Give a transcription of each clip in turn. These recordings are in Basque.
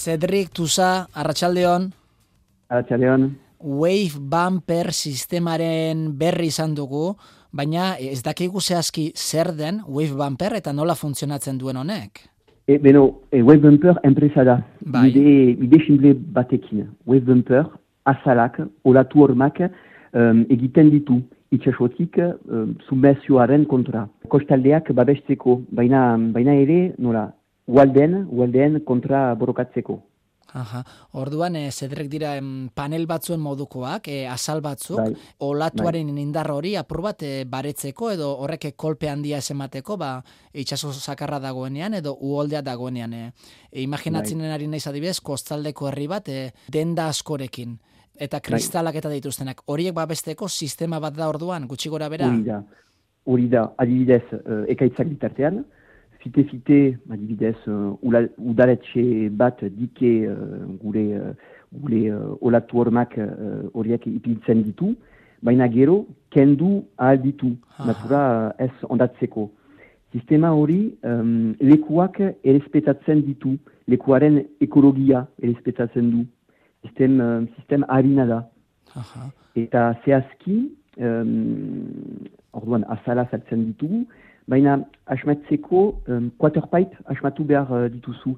Cedric Tusa, arratsaldeon. Arratsaldeon. Wave bumper sistemaren berri izan dugu, baina ez dakigu zehazki zer den wave bumper eta nola funtzionatzen duen honek. Wave bumper enpresa da. Bai. Ide simple batekin. Wave bumper, azalak, olatu hormak egiten ditu. Itxasotik submersioaren kontra. Kostaldeak babesteko, baina ere, nola, ualdeen kontra borokatzeko. Aha. Orduan, Cedric dira panel batzuen modukoak, azal batzuk, Bai. olatuaren indar hori apur bat baretzeko edo horrek kolpe handia ez emateko, itxaso sakarra dagoenean edo uholdea dagoenean. Imaginatzen ari naiz adibidez, kostaldeko herri bat denda askorekin. Eta kristalak eta dituztenak. Horiek babesteko sistema bat da orduan, gutxi gora bera? Hori da, adibidez, ekaitzak bitartean, fite, adibidez, udaletxe bat dike gure olatu hormak horiek ipiltzen ditu, baina gero, kendu ahal ditu, natura ez ondatzeko. Sistema hori lekuak errespetatzen ditu, lekuaren ekologia errespetatzen du. Sistem harina da. Eta zehazki, orduan azala saltzen ditugu, baina asmatzeko quarterpipe asmatu behar dituzu.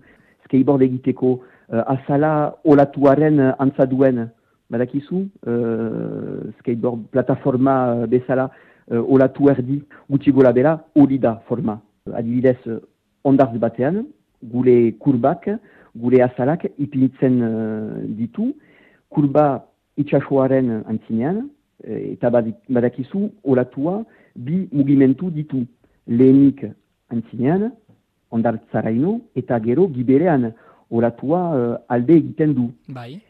Skateboard egiteko azala olatuaren antzaduen. Badakizu, skateboard plataforma bezala olatu erdi gutxi gora bera hori da forma. Adibidez, ondartz batean, gure kurbak, gure azalak ipinitzen ditu, kurba itxasoaren antzinean, eta badakizu olatua bi mugimentu ditu. Lehenik antzinean, ondartzaraino, eta gero giberean olatua alde egiten du. Bai.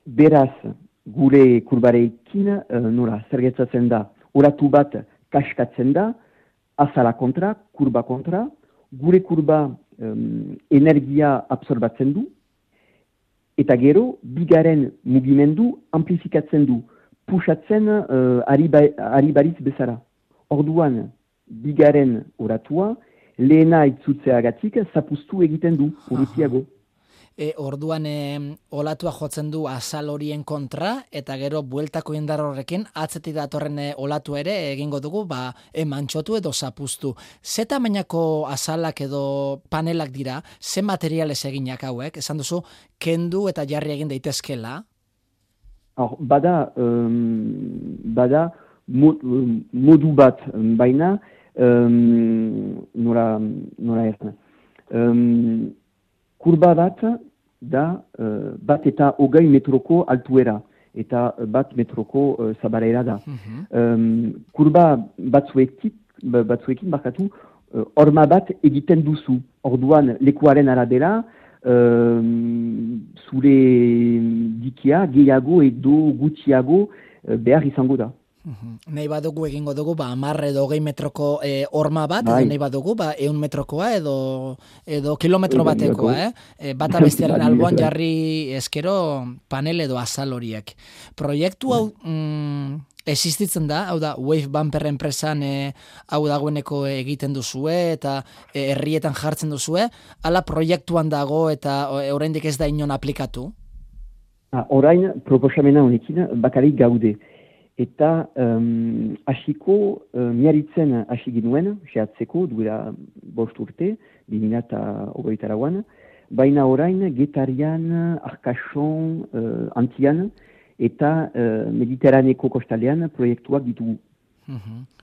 Beraz, gure kurbarekin nola zergetzatzen da, olatu bat kaskatzen da, azala kontra, kurba kontra, gure kurba energia absorbatzen du, eta gero, bigaren mugimendu amplifikatzen du, pusatzen ari bariz bezala. Orduan, bigaren oratua, lehena itzutzeagatik zapuztu egiten du, urutiago. Orduan, olatua jotzen du azal horien kontra, eta gero bueltako indar horrekin, atzetik datorren olatu ere egingo dugu, mantxotu edo zapuztu. Ze tamainako azalak edo panelak dira, ze materialez eginak hauek? Esan duzu, kendu eta jarri egin daitezkela? Bada modu bat, baina nola ertan. Kurba bat da bat eta 20 metroko altuera eta bat metroko zabalera da. Kurba batzuekin barkatu horma bat egiten duzu. Orduan lekuaren arabera zure dikia gehiago edo gutxiago behar izango da. Nahi badugu egingo dugu, 10 edo 20 metroko horma bat, edo nahi badugu, 100 metrokoa edo kilometro batekoa, bata bestearen alboan jarri eskero panel edo azal horiek. Proiektu hau existitzen da, hau da, Wave Bumper enpresan hau dagoeneko egiten duzue eta herrietan jartzen duzue, ala proiektuan dago eta oraindik ez da inon aplikatu? Orain proposamena honekin bakarrik gaude. Eta hasiko miaritzen hasi ginuen, sehatzeko, duela 5 urte, 2023an, baina orain Getarian, Arkason, Antian eta Mediterraneko kostalean proiektuak ditugu.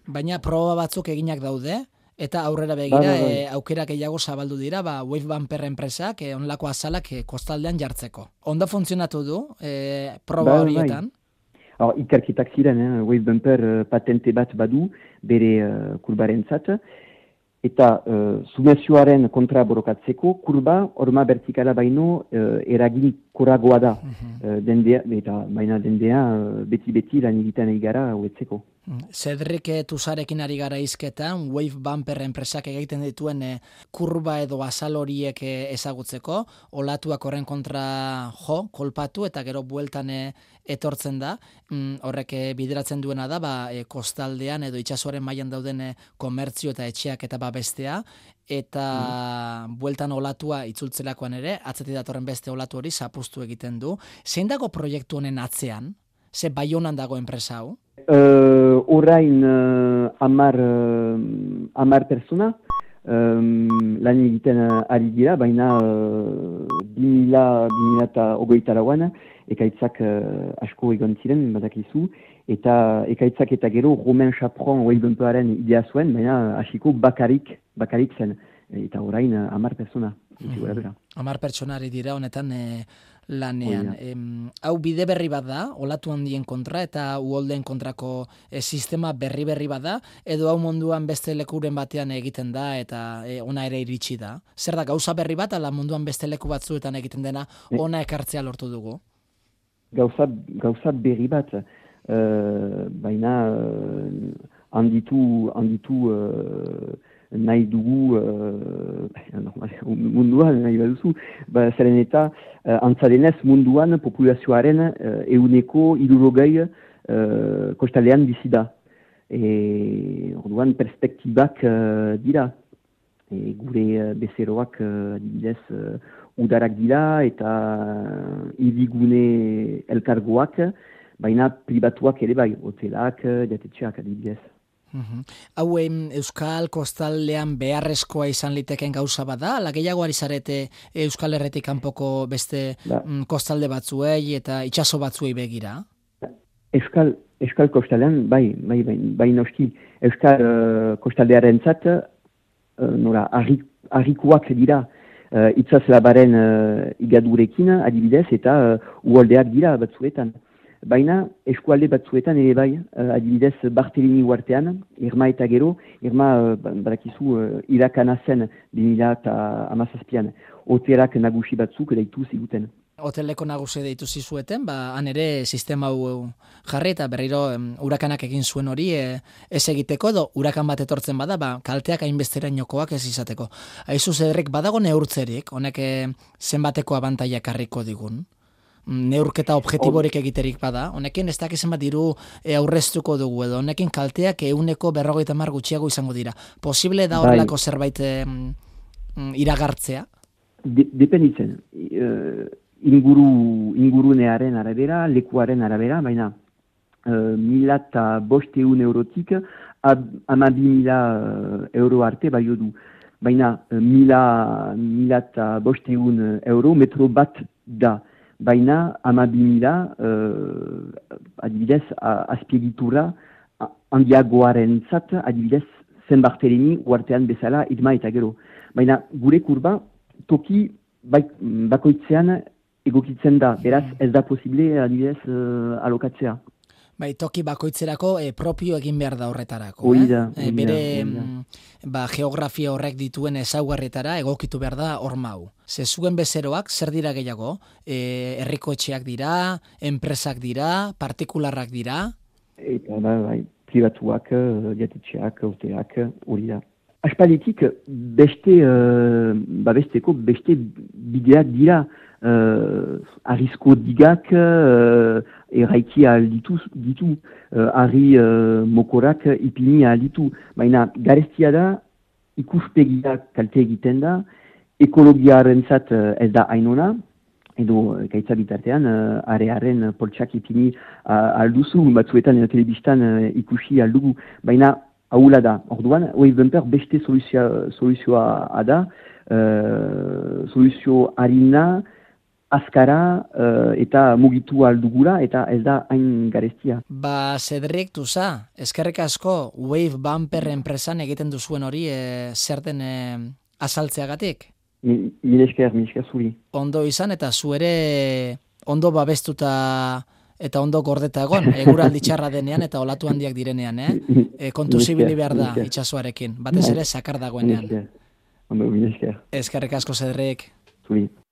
Baina proba batzuk eginak daude, eta aurrera begira aukera gehiago zabaldu dira, Wave Bumper enpresak onlako azalak kostaldean jartzeko. Ondo funtzionatu du proba horietan? Ikerketak ziren, Wave Bumper patente bat badu bere kurbarentzat, eta submersioaren kontra borokatzeko kurba horma vertikala baino eragin koragoa da. Baina dendea beti lan egiten egara hauetzeko. Cedric Tusarekin ari gara hizketan, Wave Bumper enpresak egiten dituen kurba edo azal horiek ezagutzeko, olatuak horren kontra kolpatu eta gero bueltan etortzen da, horrek bideratzen duena da, kostaldean edo itsasoaren mailan dauden komertzio eta etxeak eta babestea, eta bueltan olatua itzultzelakoan ere, atzetik datorren beste olatu hori zapuztu egiten du. Zein dago proiektu honen atzean? Ze Baionan dago enpresa hau? Orain 10 persona lan egiten ari dira, baina 2008an ekaitzak asko egon ziren, badakizu, eta ekaitzak eta gero Romain Chapron Wave Bumperaren idea zuen, baina hasiko bakarik zen, eta orain 10 persona. 10 pertsonari dira honetan lanean. Hau bide berri bat da, olatu handien kontra eta uholdeen kontrako sistema berri bat da, edo hau munduan beste lekuren batean egiten da eta ona ere iritsi da. Zer da, gauza berri bat, ala munduan beste leku batzuetan egiten dena, ona ekartzea lortu dugu? Gauza berri bat, baina handitu nahi dugu munduan, nahi baduzu, zeren eta antzadenez munduan populazioaren 60% kostalean bizi da. Orduan perspektibak dira. Gure bezeroak adibidez udarak dira eta hirigune elkargoak, baina pribatuak ere bai, hotelak, jatetxeak adibidez. Hau Euskal kostaldean beharrezkoa izan liteken gauza bada, ala gehiago ari zarete Euskal Herretik kanpoko beste kostalde batzuei eta itsaso batzuei begira? Euskal kostaldean, bai noski, Euskal kostaldearen zat, nora, harrikuak dira itsaslabaren igadurekin adibidez eta uholdeak dira batzuetan. Baina eskualde batzuetan ere bai, adibidez Barthelini uartean, Irma eta gero, Irma badakizu irakana zen 2017an, hotelak nagusi batzuk deitu ziguten. Hoteleko nagusi deitu zizueten, han ere sistema hau jarri eta berriro urakanak egin zuen hori ez egiteko edo urakan bat etortzen bada, kalteak hainbesterainokoak ez izateko. Aizu Cedric, badago neurtzerik, honek zenbateko abantaiak harriko digun? Neurketa objektiborik egiterik bada, honekin ez dakizen bat diru aurreztuko dugu edo, honekin kalteak 150 gutxiago izango dira. Posible da horrelako zerbait iragartzea? Dependitzen. Ingurunearen arabera, lekuaren arabera, baina 1.500 eurotik 12.000 euro arte baio du. Baina 1.500 euro metro bat da. Baina 12.000 adibidez azpiegitura handiagoaren zat, adibidez Zen Barthelini uartean bezala Irma eta gero. Baina gure kurba toki bakoitzean egokitzen da, beraz ez da posible adibidez alokatzea. Toki bakoitzerako propio egin behar da horretarako. Bere geografia horrek dituen ezaugarrietara egokitu behar da horma hau. Zuen bezeroak zer dira gehiago? Herriko etxeak dira, enpresak dira, partikularrak dira? Eta pribatuak, jatetxeak, hotelak, hori da. Aspalditik besteko beste bideak dira, arrizko digak erraiki alditu, arri mokorak ipini alditu. Baina garestia da, ikuspegia kalte egiten da, ekologiaren zat ez da hainona, edo gaitza bitartean, arearen poltsak ipini alduzu, batzuetan telebistan ikusi aldugu, baina haula da. Orduan, Wave Bumper beste soluzioa da, soluzio harina, azkara eta mugitu aldugura eta ez da hain garestia. Cedric Tusa, eskerrik asko Wave Bumper enpresan egiten duzuen hori zer den azaltzeagatik? Mil esker zuri. Ondo izan eta zu ere ondo babestuta eta ondo gordeta egon, eguraldi txarra denean eta olatu handiak direnean, kontu zibili behar da itsasoarekin, batez ere sakar dagoenean. Ondo, mil esker. Eskerrik asko Cedric. Zuri.